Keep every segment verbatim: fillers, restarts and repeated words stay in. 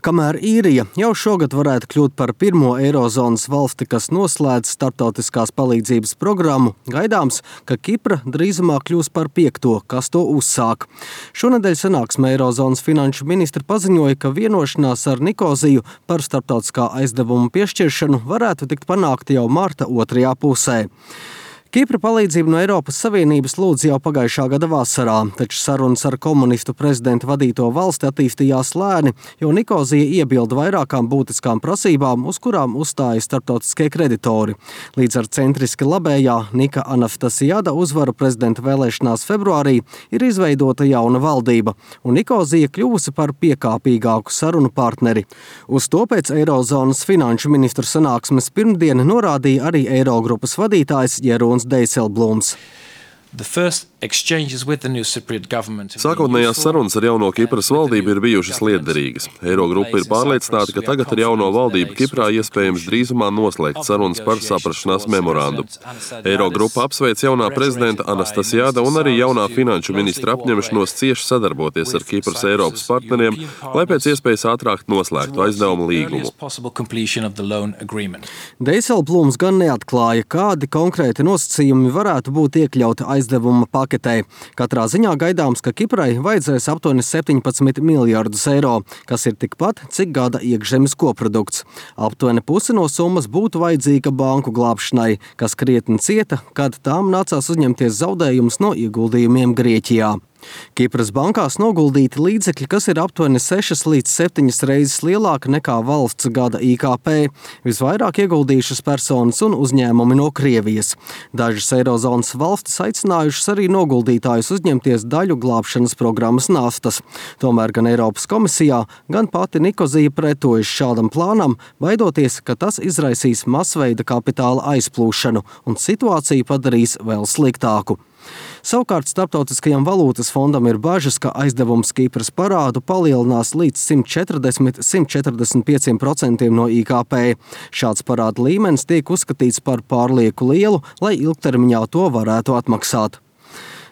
Kamēr Īrija jau šogad varētu kļūt par pirmo Eirozonas valsti, kas noslēdz starptautiskās palīdzības programmu, gaidāms, ka Kipra drīzumā kļūs par piekto, kas to uzsāk. Šonedēļ sanāksmē Eirozonas finanšu ministri paziņoja, ka vienošanās ar Nikoziju par starptautiskā aizdevuma piešķiršanu varētu tikt panākta jau marta otrajā pusē. Kipra palīdzību no Eiropas Savienības lūdz jau pagājušā gada vasarā, taču sarunas ar komunistu prezidenta vadīto valsti attīstījās lēni, jo Nikozija iebilda vairākām būtiskām prasībām, uz kurām uzstāja starptautiskie kreditori. Līdz ar centriski labējā Nika Anastasiada uzvaru prezidenta vēlēšanās februārī ir izveidota jauna valdība, un Nikozija kļuvusi par piekāpīgāku sarunu partneri. Uz to pēc Eirozonas finanšu ministru sanāksmes pirmdien norādīja arī Eirogrupas vadītājs Jeroens Dijsselbloems. Sākotnējās sarunas ar jauno Kipras valdību ir bijušas lietderīgas. Eirogrupa ir pārliecināta, ka tagad ar jauno valdību Kiprā iespējams drīzumā noslēgt sarunas par saprašanās memorandu. Eirogrupa apsveic jaunā prezidenta Anastasiada un arī jaunā finanšu ministra apņemšanos cieši sadarboties ar Kipras Eiropas partneriem, lai pēc iespējas ātrāk noslēgtu aizdevumu līgumu. Dijsselbloems gan neatklāja, kādi konkrēti nosacījumi varētu būt iekļauti aizdevuma paketē. Katrā ziņā gaidāms, ka Kiprai vajadzēs aptuveni septiņpadsmit miljardus eiro, kas ir tikpat, cik gada iekšzemes koprodukts. Aptuveni pusi no summas būtu vajadzīga banku glābšanai, kas krietni cieta, kad tām nācās uzņemties zaudējumus no ieguldījumiem Grieķijā. Kipras bankās noguldīti līdzekļi, kas ir aptuveni sešas līdz septiņas reizes lielāka nekā valsts gada I K P, visvairāk ieguldījušas personas un uzņēmumi no Krievijas. Dažas Eirozonas valstis aicinājušas arī noguldītājus uzņemties daļu glābšanas programmas naftas. Tomēr gan Eiropas komisijā, gan pati Nikozija pretojas šādam plānam, baidoties, ka tas izraisīs masveida kapitāla aizplūšanu un situāciju padarīs vēl sliktāku. Savukārt Starptautiskajam valūtas fondam ir bažas, ka aizdevums Kipras parādu palielinās līdz simt četrdesmit līdz simt četrdesmit pieciem procentiem no I K P. Šāds parāda līmenis tiek uzskatīts par pārlieku lielu, lai ilgtermiņā to varētu atmaksāt.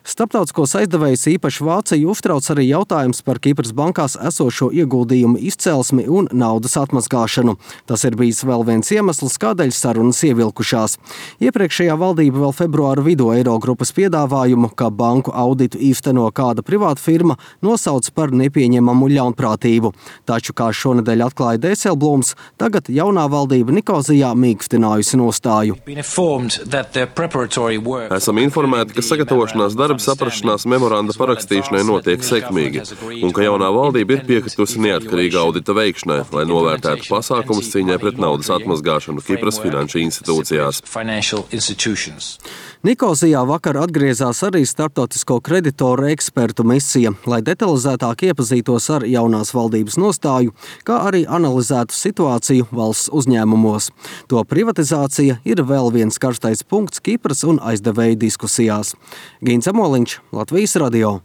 Starptautiskos aizdevējus īpaši Vāciju uztrauc arī jautājums par Kipras bankās esošo ieguldījumu izcelsmi un naudas atmazgāšanu. Tas ir bijis vēl viens iemesls, kādēļ sarunas ievilkušās. Iepriekšējā valdība vēl februāra vidū Eirogrupas piedāvājumu, ka banku auditu īsteno kāda privāta firma, nosauc par nepieņemamu ļaunprātību. Taču, kā šonedēļ atklāja Dijsselbloems, tagad jaunā valdība Nikozijā mīkstinājusi nostāju. Esam informēti, ka sagatavošanās darbi saprašanās memoranda parakstīšanai notiek sekmīgi, un ka jaunā valdība ir piekritusi neatkarīga audita veikšanai, lai novērtētu pasākumus cīņai pret naudas atmazgāšanu Kipras finanšu institūcijās. Nikozijā vakar atgriezās arī starptautisko kreditoru ekspertu misija, lai detalizētāk iepazītos ar jaunās valdības nostāju, kā arī analizētu situāciju valsts uzņēmumos. To privatizācija ir vēl viens karstais punkts Kipras un aizdevēju diskusijās. Gins Amoliņš, Latvijas radio.